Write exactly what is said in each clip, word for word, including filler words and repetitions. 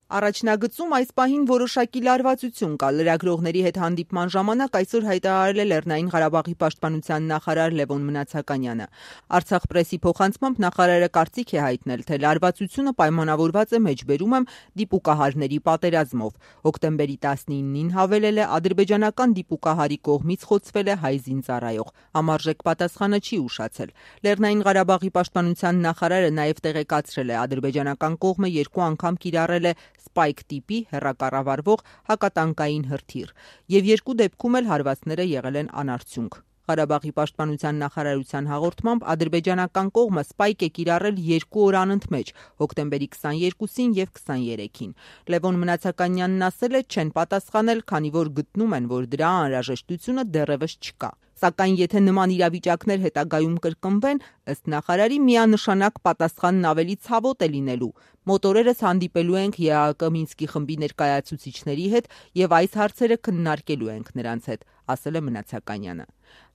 Առաջնագծում այս պահին որոշակի լարվածություն կա։ Լրագրողների հետ հանդիպման ժամանակ այսօր հայտարարել է Լեռնային Ղարաբաղի պաշտպանության նախարար Լևոն Մնացականյանը։ Արցախ պրեսի փոխանցմամբ նախարարը կարծիք է հայտնել, թե լարվածությունը պայմանավորված է մեջբերում եմ դիպուկահարների պատերազմով։ Հոկտեմբերի տասնինին հավելել է ադրբեջանական դիպուկահարի կողմից խոցվել է հայ զինծառայող։ Համարժեք պատասխանը չի ուշացել։ Լեռնային Ղարաբաղի պաշտպանության նախարարը նաև տեղեկացրել է, ադրբեջանական կողմը երկու անգամ կիրառել է Spike տիպի հեռակառավարվող հակատանկային հրթիռ, եւ երկու դեպքում էլ հարվածները եղել են անարդյունք։ Ղարաբաղի պաշտպանության նախարարության հաղորդմամբ ադրբեջանական կողմը Spike է կիրառել երկու օր անընդմեջ՝ հոկտեմբերի քսաներկուսին եւ քսաներեքին։ Լևոն Մնացականյանն ասել է, չեն պատասխանել, քանի որ գտնում են, որ դրա անհրաժեշտությունը դեռևս չկա։ Սակայն եթե նման իրավիճակներ հետագայում կրկնվեն, ըստ նախարարի միանշանակ պատասխանն ավելի ցավոտ է լինելու։ Մոտորերս հանդիպելու ենք Է Ա Կ Մինսկի խմբի ներկայացուցիչների հետ եւ այս հարցերը քննարկելու ենք նրանց հետ, ասել է Մնացականյանը։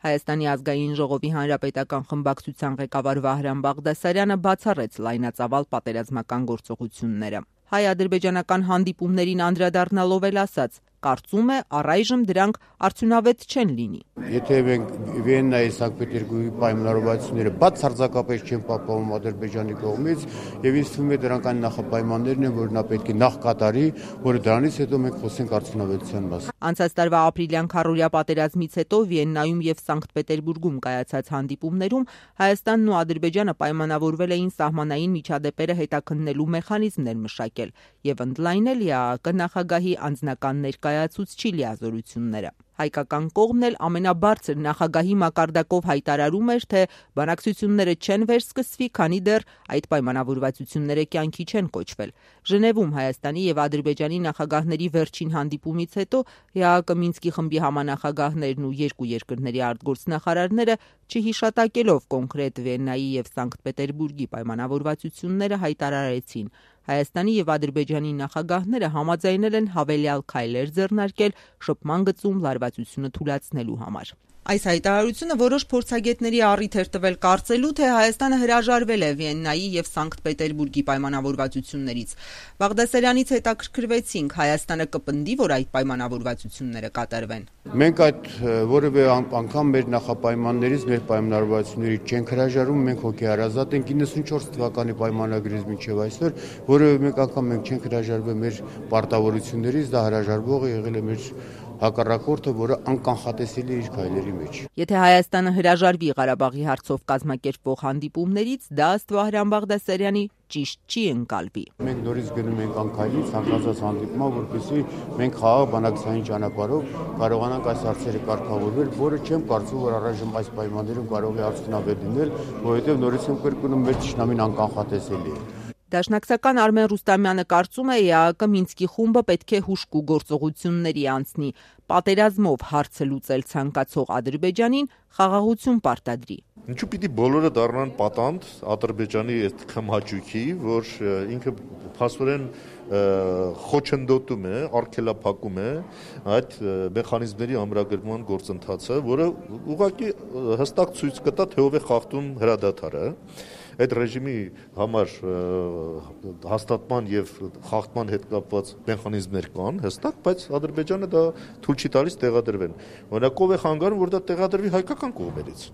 Հայաստանի ազգային ժողովի հանրապետական խմբակցության ղեկավար Վահրամ Բաղդասարյանը բացառեց լայնածավալ պատերազմական գործողությունները։ Հայ-ադրբեջանական հանդիպումներին անդրադառնալով էլ ասաց. կարծում է առայժմ դրանք արդյունավետ չեն լինի։ Եթե մենք Վիեննայի Սանկտ Պետերբուրգի պայմանավորվածությունները բացարձակապես չեն պահպանվում Ադրբեջանի կողմից, եւ ինձ թվում է դրանք այն նախապայմաններն են, որ նա պետք է նախ կատարի, որը դրանից հետո մենք խոսենք արդյունավետության մասին։ Անցած տարվա ապրիլյան քառօրյա պատերազմից հետո Վիեննայում եւ Սանկտ Պետերբուրգում կայացած հանդիպումներում Հայաստանն ու Ադրբեջանը պայմանավորվել էին սահմանային միջադեպերը հետաքննելու մեխանիզմներ մշակել եւ ընդլայնել Է Ա Կը նախագահի անձնական ներկայացուցչի լիազորությունները։ Հայկական կողմն էլ ամենաբարձր նախագահի մակարդակով հայտարարում էր, թե բանակցությունները չեն վերսկսվի, քանի դեռ այդ պայմանավորվածությունները կյանքի չեն կոչվել։ Ժնևում Հայաստանի եւ Ադրբեջանի նախագահների վերջին հանդիպումից հետո Է Ա Կը Մինսկի խմբի համանախագահներն ու երկու երկրների արտգործնախարարները, չհիշատակելով կոնկրետ Վիեննայի եւ Սանկտ Պետերբուրգի պայմանավորվածությունները, հայտարարեցին. Հայաստանի եւ Ադրբեջանի նախագահները համաձայնել են հավելյալ քայլեր ձեռնարկել շփման գծում լարվածությունը թուլացնելու համար։ Այս հայտարարությունը որոշ փորձագետների առիթ էր տվել կարծելու, թե Հայաստանը հրաժարվել է Վիեննայի եւ Սանկտ Պետերբուրգի պայմանավորվածություններից։ Բաղդասարյանից հետաքրքրվեցինք, Հայաստանը կպնդի, որ այդ պայմանավորվածությունները կատարվեն։ Մենք այդ որևէ անգամ մեր նախապայմաններից, մեր պայմանավորվածություններից չենք հրաժարվում, մենք հոգեհարազատ ենք իննսունչորս թվականի պայմանագրից մինչև այսօր, որևէ մեկ անգամ մենք չենք հրաժարվել մեր պարտավորություններից, դա հրաժարվողը եղել է մեր հակառակորդը, որը անկանխատեսելի իր քայլերի մեջ։ Եթե Հայաստանը հրաժարվի Ղարաբաղի հարցով կազմակերպվող հանդիպումներից, դա ըստ Վահրամ Բաղդասարյանի ճիշտ չի ընկալվի։ Մենք նորից գնում ենք անքայլի ցանկացած հանդիպման, որպեսզի մենք խաղաղ բանակցային ճանապարհով կարողանանք այս հարցերը կարգավորել, որը չեմ կարծում, որ առայժմ այս պայմաններում կարող է արդյունավետ լինել, որովհետև նորից եմ կրկնում, մեր ճշնամին անկանխատեսելի է։ Դաշնակցական Արմեն Ռուստամյանը կարծում է, Է Ա Կը Մինսկի խումբը պետք է հուժկու գործողությունների անցնի, պատերազմով հարցը լուծել ցանկացող Ադրբեջանին խաղաղություն պարտադրի։ Ինչու պիտի բոլորը դառնան պատանդ Ադրբեջանի այդ քմհաճույքի, որ ինքը փաստորեն խոչընդոտում է, արգելափակում է այդ մեխանիզմների ամրագրման գործընթացը, որը ուղղակի հստակ ցույց կտա, թե ով է խախտում հրադադարը։ Այդ ռեժիմի համար հաստատման եւ խախտման հետ կապված մեխանիզմներ կան հստակ, բայց Ադրբեջանը դա թույլ չի տալիս տեղադրվեն։ Օրինակ ով է խանգարում, որ դա տեղադրվի հայկական կողմերից։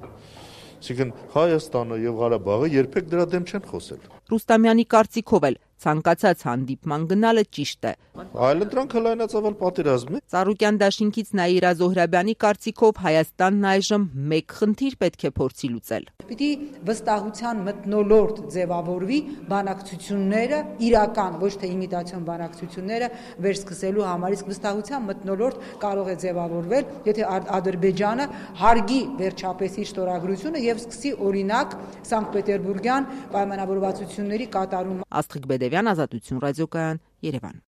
Այսինքն Հայաստանը եւ Ղարաբաղը երբեք դրա դեմ չեն խոսել։ Ռուստամյանի կարծիքով էլ ցանկացած հանդիպման գնալը ճիշտ է։ Այլընտրանքը լայնածավալ պատերազմ է։ Ծառուկյան դաշինքից Նաիրա Զոհրաբյանի կարծիքով Հայաստանն այժմ մեկ խնդիր պետք է փորձի լուծել։ Պիտի վստահության մթնոլորտ ձևավորվի բանակցությունները իրական, ոչ թե իմիտացիոն բանակցությունները վերսկսելու համար, իսկ վստահության մթնոլորտ կարող է ձևավորվել, եթե Ադրբեջանը հարգի վերջապես իր ստորագրությունը եւ սկսի օրինակ Սանկտ Պետերբուրգյան պայմանավորվածությունների կատարումը։ Աստղիկ Բեդևյան, Ազատություն ռադիոկայան, Երևան։